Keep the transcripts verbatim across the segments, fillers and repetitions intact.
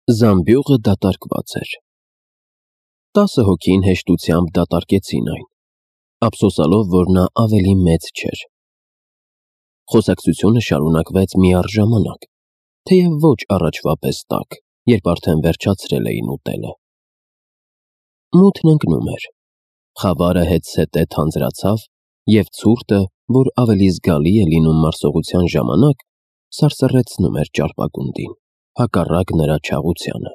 Զամբյուղը դատարկված էր։ Տասը հոգին հեշտությամբ դատարկեցին այն, ափսոսալով, որ նա ավելի մեծ չէր։ Խոսակցությունը շարունակվեց միառժամանակ, թեև ոչ առաջվա պես տաք, երբ արդեն վերջացրել էին ուտելը։ Մութն ընկնում էր, խավարը հետզհետե թանձրացավ, և ցուրտը, որ ավելի զգալի է լինում մարսողության ժամանակ, սարսռեցնում էր ճարպագունդին, հակառակ նրա չաղությանը։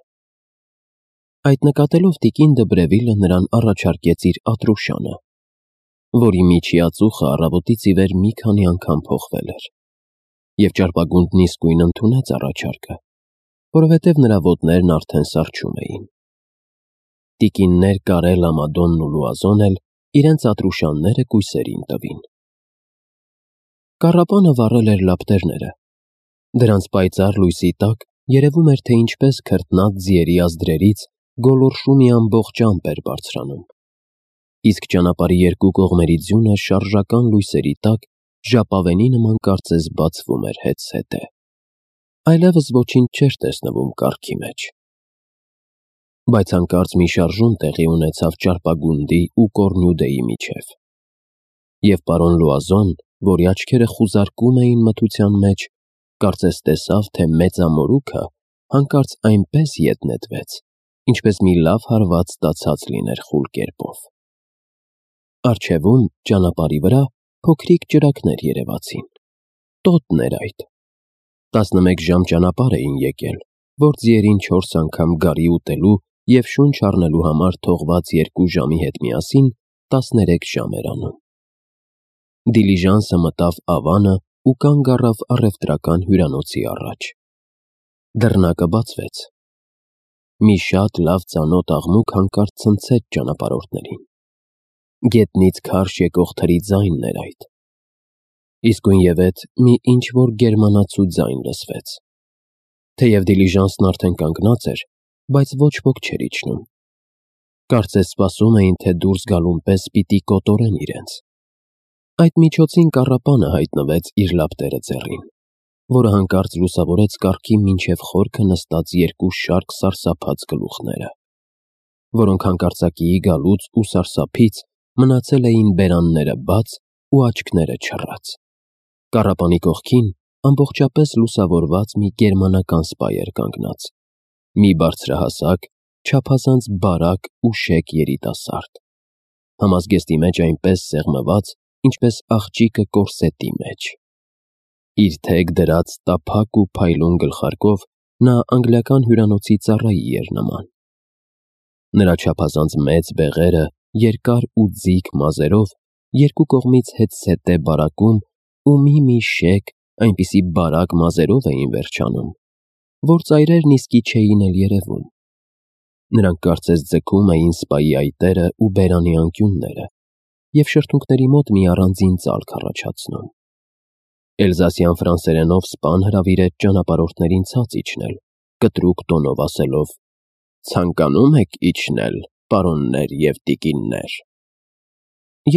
Այդ նկատելով տիկին Դբրևիլը նրան առաջարկեց իր Ատրուշանը, որի միջիածուխը առավոտից ի վեր մի քանի անգամ փոխվել էր, և ճարպագունդն իսկույն ընդունեց առաջարկը, որովհետև նրա ոտներն արդեն սառչում էին։ Տիկիններ Կարելա, Մադոննն ու Լուազոն էլ իրենց Ատրուշանները կույսերին տվին։ Կառապանը վառել էր լապտերները։ Դրանց պայծառ լույսի տակ երևում էր, թե ինչպես քրտնած ձիերի ազդրերից գոլորշու մի ամբողջ ամպ էր բարձրանում, իսկ ճանապարհի երկու կողմերի ձյունը շարժական լույսերի տակ ժապավենի նման կարծես բացվում էր հետզհետե։ Այլևս ոչինչ չէր տեսնվում կառքի մեջ։ Բայց հանկարծ մի շարժում տեղի ունեցավ ճարպագունդի ու Կոռնյուդեի միջև, և պարոն Լուազոն, որի աչքերը խուզարկում էին մթության մեջ, կարծես տեսավ, թե մեծամորուքը հանկարծ այնպես ետ նետվեց, ինչպես մի լավ հարված տացած լիներ խուլ կերպով։ Առջևում, ճանապարհի վրա, փոքրիկ ճրագներ երևացին։ Տոտն էր այդ։ Տասնմեկ ժամ ճանապարհ էին եկել, որ ձիերին չորս անգամ գարի ուտելու և շունչ առնելու համար թողված երկու ժամի հետ միասին տասներեք ժամ էր անում։ Դիլիժանսը մտավ Ավանը ու կանգ առավ առևտրական հյուրանոցի առաջ։ Դռնակը բացվեց։ Մի շատ լավ ծանոթ աղմուկ հանկարծ ցնցեց ճանապարհորդներին։ Գետնից քարշ եկող թրի ձայնն էր այդ։ Իսկույնևեթ մի ինչ-որ գերմանացու ձայն լսվեց։ Թեև դիլիժանսն արդեն կանգնած էր, բայց ոչ ոք չէր իջնում։ Կարծես սպասում էին, թե դուրս գալուն պես պիտի կոտորեն իրենց։ Այդ միջոցին կառապանը հայտնվեց իր լապտերը ձեռին, որը հանկարծ լուսավորեց կառքի մինչև խորքը նստած երկու շարք սարսափած գլուխները, որոնք հանկարծակիի գալուց ու սարսափից մնացել էին բերանները բաց ու աչքները չռած։ Կառապանի կողքին ամբողջապես լուսավորված մի գերմանական սպա էր կանգնած, մի բարձրահասակ, չափազանց բարակ ու շեկ երիտասարդ, համազգեստի մեջ այնպես սեղմված, ինչպես աղջիկը կորսետի մեջ։ Իր թեք դրած տափակ ու փայլուն գլխարկով նա անգլիական հյուրանոցի ծառայի էր նման։ Նրա չափազանց մեծ բեղերը երկար ու ձիգ մազերով երկու կողմից հետզհետե բարակում ու մի-մի շեկ, այնպիսի բարակ մազերով էին վերջանում, որ ծայրերն իսկի չէին էլ երևում։ Նրանք կարծես ձգում էին սպայի այտերը ու բերանի անկյունները և շրթունքների մոտ մի առանձին ծալք առաջացնում։ Էլզասյան ֆրանսերենով սպան հրավիրեց ճանապարհորդներին ցած իջնել, կտրուկ տոնով ասելով. «Ցանկանում եք իջնել, պարոններ և տիկիններ»։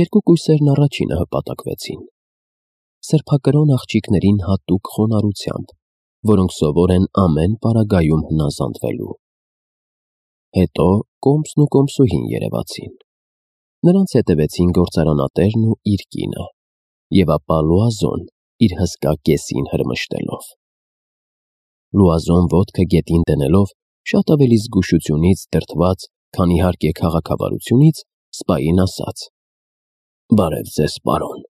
Երկու կույսերն առաջինը հպատակվեցին, սրբակրոն աղջիկներին հատուկ խոնարհությամբ, որոնք սովոր են ամեն պարագայում հնազանդվելու։ Հետո կոմսն ու կոմսուհին երևացին։ Նրանց հետևեցին գործարանատերն ու իր կինը, և ապա Լուազոն իր հսկա կեսին հրմշտելով։ Լուազոն ոտքը գետին դնելով, շատ ավելի զգուշությունից դրդված, քան իհարկե քաղաքավարությունից, սպային ասաց. «Բարև ձեզ, պարոն»։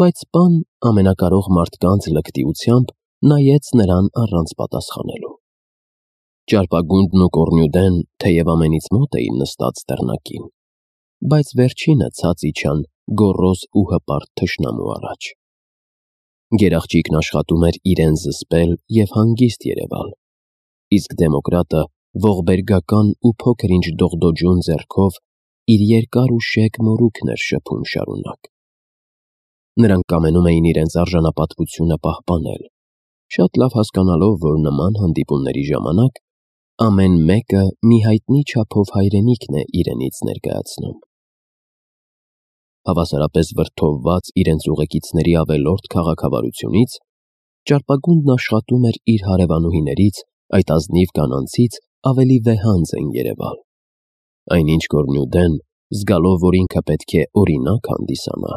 Բայց սպան ամենակարող մարդկանց լկտիությամբ նայեց նրան առանց պատասխանելու։ Ճարպագունդն ու Կոռնյուդեն թեև ամենից մոտ էին նստած դռնակին, բայց վերջինը ցած իջան գոռոզ ու հպարտ թշնամու առաջ։ Գերաղջիկն աշխատում էր իրեն զսպել և հանգիստ երևալ, իսկ դեմոկրատը ողբերգական ու փոքր-ինչ դողդոջուն ձեռքով իր երկար ու շեկ մորուքն էր շփում շարունակ։ Նրանք կամենում էին իրենց արժանապատվությունը պահպանել, շատ լավ հասկանալով, որ նման հանդիպումների ժամանակ ամեն մեկը մի հայտնի չափով հայրենիքն է իրենից ներկայացնում։ Հավասարապես վրդովված իրենց ուղեկիցների ավելորդ քաղաքավարությունից, ճարպագունդն աշխատում էր իր հարևանուհիներից այդ ազնիվ կանանցից ավելի վեհանձ են երևալ։ Այնինչ Կորնյուդեն, զգալով, որ ինքը պետք է օրինակ հանդիսանա,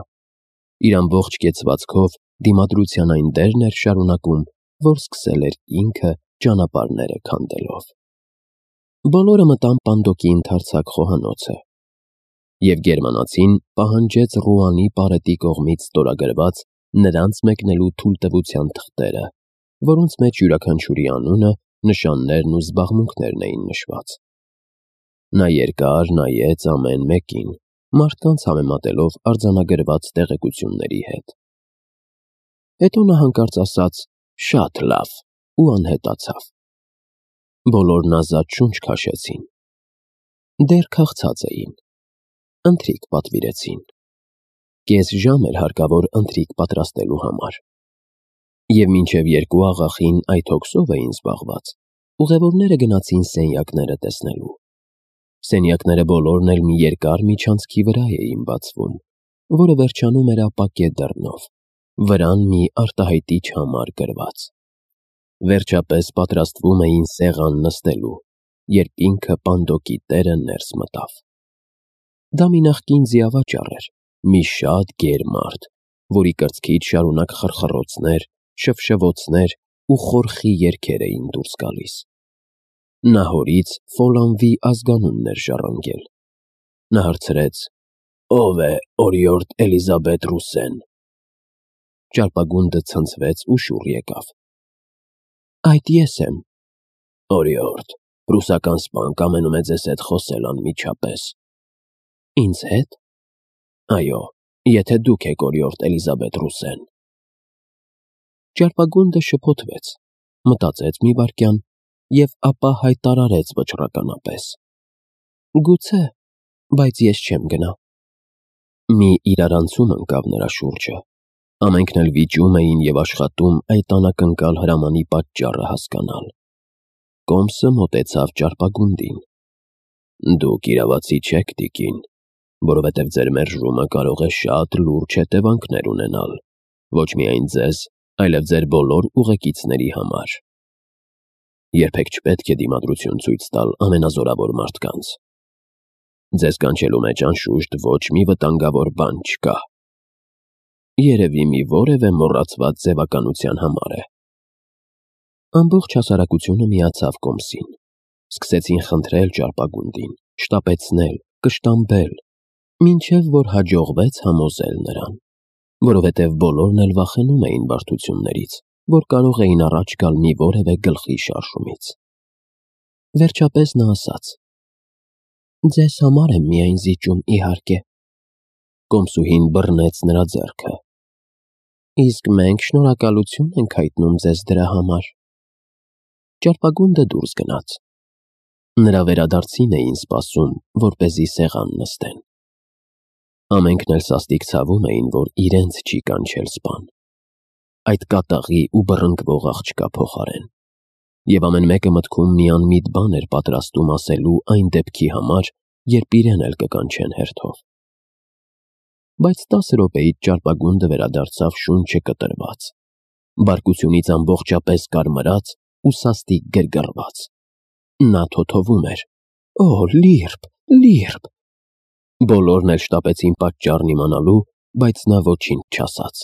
իր ամբողջ կեցվածքով դիմադրության այն դերն էր շարունակում, որ սկսել էր ինքը ճանապարհները քանդելով։ Բոլորը մտան Պանդոկի ընդարձակ խոհանոցը, և գերմանացին պահանջեց Ռուանի պարետի կողմից ստորագրված նրանց մեկնելու թույլտվության թղթերը, որոնց մեջ յուրաքանչյուրի անունը, նշաններն ու զբաղմունքներն էին նշված։ Նա երկար նայեց ամեն մեկին, մարդկանց համեմատելով արձանագրված տեղեկությունների հետ։ Հետո նա հանկարծ ասաց. «Շատ լավ» ու անհետացավ։ Բոլորն ազատ շունչ քաշեցին։ Դեռ քաղցած էին։ Ընթրիք պատվիրեցին։ Կես ժամ էր հարկավոր ընթրիք պատրաստելու համար։ Եվ մինչև երկու աղախին այդ հոգսով էին զբաղված, ուղևորները գնացին սենյակները տեսնելու։ Սենյակները բոլորն էլ մի երկար միջանցքի վրա էին բացվում, որը վերջանում էր ապակե դռնով, վրան մի արտահայտիչ համար գրված։ Վերջապես պատրաստվում էին սեղան նստելու, երբ ինքը Պանդոկի տերը ներս մտավ։ Դա մի նախկին ձիավաճառ էր, մի շատ գեր մարդ, որի կրծքից շարունակ խռխռոցներ, շվշվոցներ ու խորխի երգեր էին դուրս գալիս։ Նա հորից Ֆոլանվի ազգանունն էր ժառանգել։ Նա հարցրեց. «Ո՞վ է օրիորդ Էլիզաբետ Ռուսեն»։ Ճարպագունդը ցնցվեց ու շուռ եկավ։ «Այդ ես եմ»։ «Օրիորդ, ռուսական սպան կամենում է ձեզ հետ խոսել անմիջապես»։ «Ինձ հետ»։ «Այո, եթե դուք եք օրիորդ Էլիզաբետ Ռուսեն»։ Ճարպագունդը շփոթվեց, մտածեց մի վայրկյան և ապա հայտարարեց վճռականապես. «Գուցե, բայց ես չեմ գնա»։ Մի իրարանցում ընկավ նրա շուրջը։ Ամենքն էլ վիճում էին և աշխատում այդ անակնկալ հրամանի պատճառը հասկանալ։ Կոմսը մոտեցավ ճարպագունդին. «Դուք իրավացի չեք, տիկին, որովհետև ձեր մերժումը կարող է շատ լուրջ հետևանքներ ունենալ, ոչ միայն ձեզ, այլև ձեր բոլոր ուղեկիցների համար։ Երբեք չպետք է դիմադրություն ցույց տալ ամենազորավոր մարդկանց։ Ձեզ կանչելու մեջ անշուշտ ոչ մի վտանգավոր բան չկա։ Երևի մի որևէ մոռացված ձևականության համար է»։ Ամբողջ հասարակությունը միացավ Կոմսին։ Սկսեցին խնդրել ճարպագունդին, շտապեցնել, կշտամբել, մինչև որ հաջողվեց համոզել նրան, որովհետև բոլորն էլ վախենում էին բարդություններից, որ կարող էին առաջ գալ մի որևէ գլխի շարժումից։ Վերջապես նա ասաց. «Ձեզ համար եմ միայն զիջում, իհարկե»։ Կոմսուհին բռնեց նրա ձեռքը։ «Իսկ մենք շնորհակալություն ենք հայտնում ձեզ դրա համար»։ Ճարպագունդը դուրս գնաց։ Նրա վերադարձին էին սպասում, որպեսզի սեղան նստեն։ Ամենքն էլ սաստիկ ցավում էին, որ իրենց չի կանչել սպան, այդ կատաղի ու բռնկվող աղջկա փոխարեն, և ամեն մեկը մտքում մի անմիտ բան էր պատրաստում ասելու այն դեպքի համար, երբ իրեն էլ կկանչեն հերթով։ Բայց տասը րոպեից ճարպագունդը վերադարձավ շունչը կտրված, բարկությունից ամբողջապես կարմրած ու սաստիկ գրգռված։ Նա թոթովում էր. «Օ, լիրբ, լիրբ»։ Բոլորն էլ շտապեցին պատճառն իմանալու, բայց նա ոչինչ չասաց։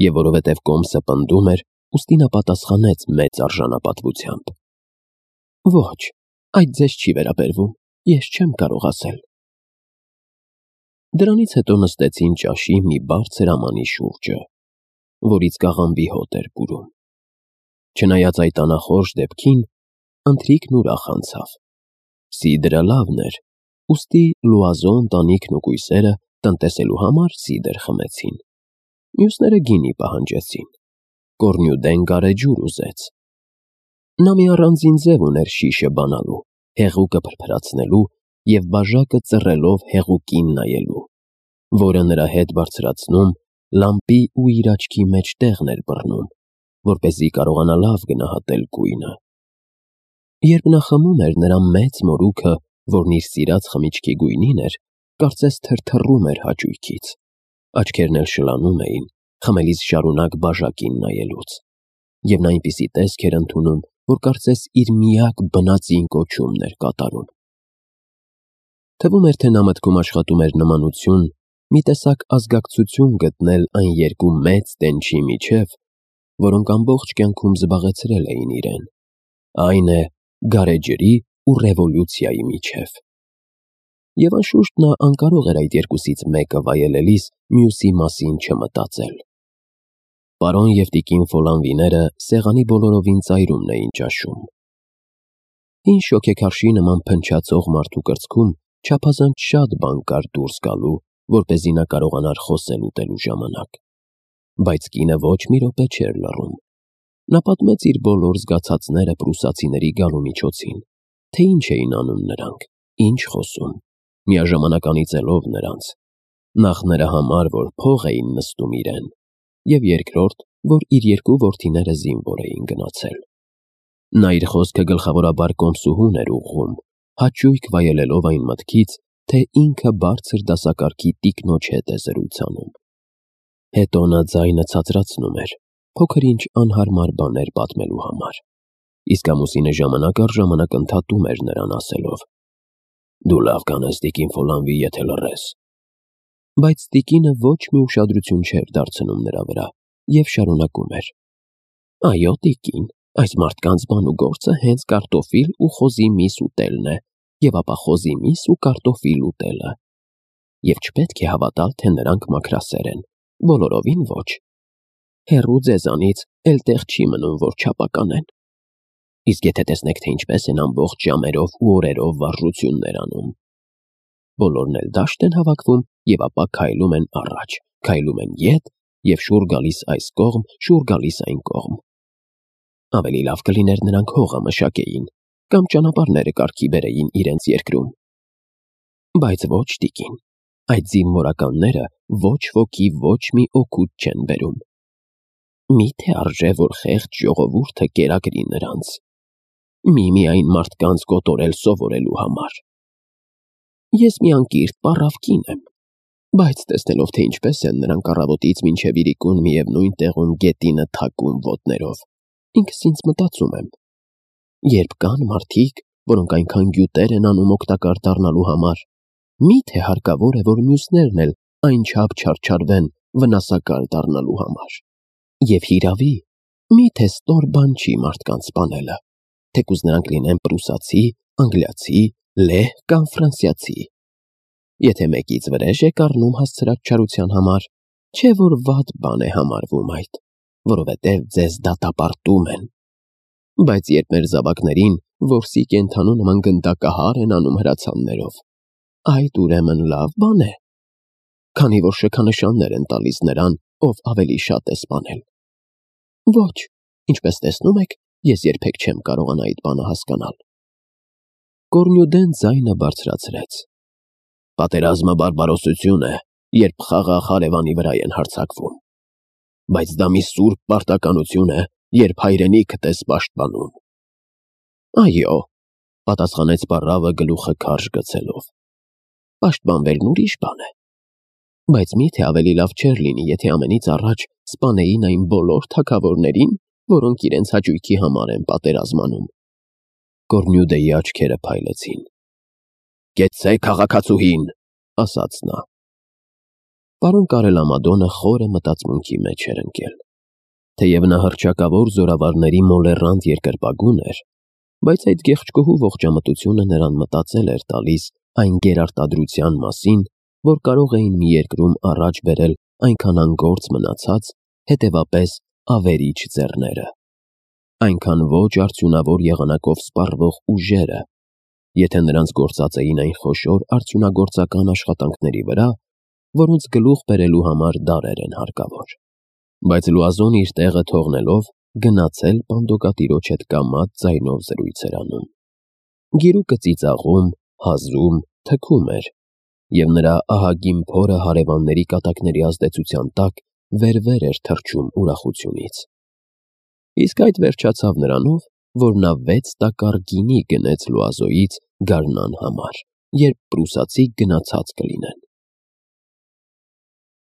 Եվ որովհետև Կոմսը պնդում էր, ուստի նա պատասխանեց մեծ արժանապատվությամբ. «Ոչ, այդ ձեզ չի վերաբերվում, ես չեմ կարող ասել»։ Դրանից հետո նստեցին ճաշի մի բարձր ամանի շուրջը, որից կաղամբի հոտ էր բուրում։ Չնայած այդ անախորժ դեպքին, ընթրիքն ուրախ անցավ։ Սիդրը լավն էր, ուստի Լուազո ընտանիքն ու կույսերը տնտեսելու համար սիդր խմեցին։ Մյուսները գինի պահանջեցին։ Կորնյուդեն գարեջուր ուզեց։ Նա մի առանձին ձև ուներ շիշը բանալու, հեղուկը փրփրացնելու և բաժակը ծռելով հեղուկին նայելու, որը նրա հետ բարձրացնում, լամպի ու իր աչքի մեջ տեղն էր բռնում, որպեսզի կարողանա լավ գնահատել գույնը։ Երբ նա խմում էր, նրա մեծ մորուքը, որն իր սիրած խմիչքի գույնին էր, կարծես թրթռում էր հաճույքից, աչքերն էլ շլանում էին, խմելիս շարունակ բաժակին նայելուց, և նա այնպիսի տեսք էր ընդունում, որ կարծես իր միակ բնածին կոչումն էր կատարում։ Թվում էր, թե նա մտքում աշխատում էր նմանություն, մի տեսակ ազգակցություն գտնել այն երկու մեծ տենչի միջև, որոնք ամբողջ կյանքում զբաղեցրել էին իրեն, այն է գարեջրի ու ռևոլյուցիայի միջև։ Եվ անշուշտ նա անկարող էր այդ երկուսից մեկը վայելելիս մյուսի մասին չմտածել։ Պարոն և տիկին Ֆոլանվիները սեղանի բոլորովին ծայրումն էին ճաշում։ Հին շոգեքարշի նման փնչացող մարդու կրծքում չափազանց շատ բան կար դուրս գալու, որպեսզի նա կարողանար խոսել ուտելու ժամանակ։ Բայց կինը ոչ մի րոպե չէր լռում։ Նա պատմեց իր բոլոր զգացածները պրուսացիների գալու միջոցին, թե ինչ էին անում նրանք, ինչ խոսում, միաժամանակ անիծելով նրանց, նախ նրա համար, որ փող էին նստում իրեն, և երկրորդ, որ իր երկու որդիները զինվոր էին գնացել։ Նա իր խոսքը գլխավորաբար կոմսուհուն էր ուղղում, հաճույք վայելելով այն մտքից, թե ինքը բարձր դասակարգի տիկնոջ հետ է զրույց անում։ Հետո նա ձայնը ցածրացնում էր, փոքր-ինչ անհարմար բաներ պատմելու համար, իսկ ամուսինը ժամանակ առ ժամանակ ընդհատում էր նրան ասելով. «Դու լավ կանես, տիկին Ֆոլանվի, եթե լռես»։ Բայց տիկինը ոչ մի ուշադրություն չէր դարձնում նրա վրա և շարունակում էր. «Այո, տիկին, այս մարդկանց բան ու գործը հենց կարտոֆիլ ու խոզի միս ուտելն է, և ապա խոզի միս ու կարտոֆիլ ուտելը։ Եվ չպետք է հավատալ, թե նրանք մաքրասեր են, բոլորովին ոչ։ Հեռու ձեզանից էլ տեղ չի մնում, որ չափականեն։ Իսկ եթե տեսնեք, թե ինչպես են ամբողջ ժամերով ու օրերով վարժություններ անում։ Բոլորն էլ դաշտ են հավաքվում և ապա քայլում են առաջ, քայլում են ետ և շուռ գալիս այս կողմ, շուռ գալիս այն կողմ։ Ավելի լավ կլիներ նրանք հողը մշակեին կամ ճանապարհները կարգի բերեին իրենց երկրում։ Բայց ոչ, տիկին, այդ զինվորականները ոչ ոքի ոչ մի օգուտ չեն բերում։ Մի՞թե արժե, որ խեղճ ժողովուրդը կերակրի նրանց։ Միմիայն մարդկանց կոտորել սովորելու համար։ Ես մի անկիրթ պառավ կին եմ, բայց տեսնելով, թե ինչպես են նրանք առավոտից մինչև իրիկուն միևնույն տեղում գետինը թակում ոտներով, ինքս ինձ մտածում եմ. երբ կան մարդիկ, որոնք այնքան գյուտեր են անում օգտակար դառնալու համար, մի՞թե հարկավոր է, որ մյուսներն էլ այնչափ չարչարվեն վնասակար դառնալու համար։ Եվ հիրավի, մի՞թե ստոր բան չի մարդկանց սպանելը, թեկուզ նրանք լինեն պրուսացի, անգլիացի, լեհ կամ ֆրանսիացի։ Եթե մեկից վրեժ եք առնում հասցրած չարության համար, չէ՞ որ վատ բան է համարվում այդ, որովհետև ձեզ դատապարտում են։ Բայց երբ մեր զավակներին որսի կենդանու նման գնդակահար են անում հրացաններով, այդ ուրեմն լավ բան է, քանի որ շքանշաններ են տալիս նրան, ով ավելի շատ է սպանել։ Ոչ, ինչպես տեսնում եք, ես երբեք չեմ կարողանա այդ բանը հասկանալ։ Կորնյուդեն ձայնը բարձրացրեց. Պատերազմը բարբարոսություն է, երբ խաղաղ հարևանի վրա են հարձակվում։ Բայց դա մի սուրբ պարտականություն է, երբ հայրենիքդ ես պաշտպանում։ Այո, պատասխանեց պառավը գլուխը քարշ գցելով։ Պաշտպանվելն ուրիշ բան է։ Բայց մի՞թե ավելի լավ չէր լինի, եթե ամենից առաջ սպանեին այն բոլոր թագավորներին, որոնք իրենց հաճույքի համար են պատերազմանում։ Կորնյուդեի աչքերը փայլեցին։ Կեցցե քաղաքացուհին, ասաց նա։ Պարոն Կարելամադոնը խորը մտածմունքի մեջ էր ընկել։ Թեև նա հռչակավոր զորավարների մոլեռանդ երկրպագուն էր, բայց այդ գեղեցկուհու ողջամտությունը նրան մտածել էր տալիս այն գերարտադրության մասին, որ կարող էին մի երկրում առաջ բերել այնքան անգործ մնացած, հետևապես ավերիչ ձեռները, այնքան ոչ արդյունավոր եղանակով սպառվող ուժերը, եթե նրանց գործած էին այն խոշոր արդյունագործական աշխատանքների վրա, որոնց գլուխ բերելու համար դարեր են հարկավոր։ Բայց Լուազոն իր տեղը թողնելով գնացել պանդոկատիրոջ հետ կամաց ձայնով զրույց էր անում։ Գիրուկը ծիծաղում, հազում, թքում էր, և նրա ահագին փորը հարևանների կատակների ազդեցության տակ վեր-վեր էր թռչում ուրախությունից։ Իսկ այդ վերջացավ նրանով, որ նա վեց տակառ գինի գնեց Լուազոյից գարնան համար, երբ պրուսացի գնացած կլինեն։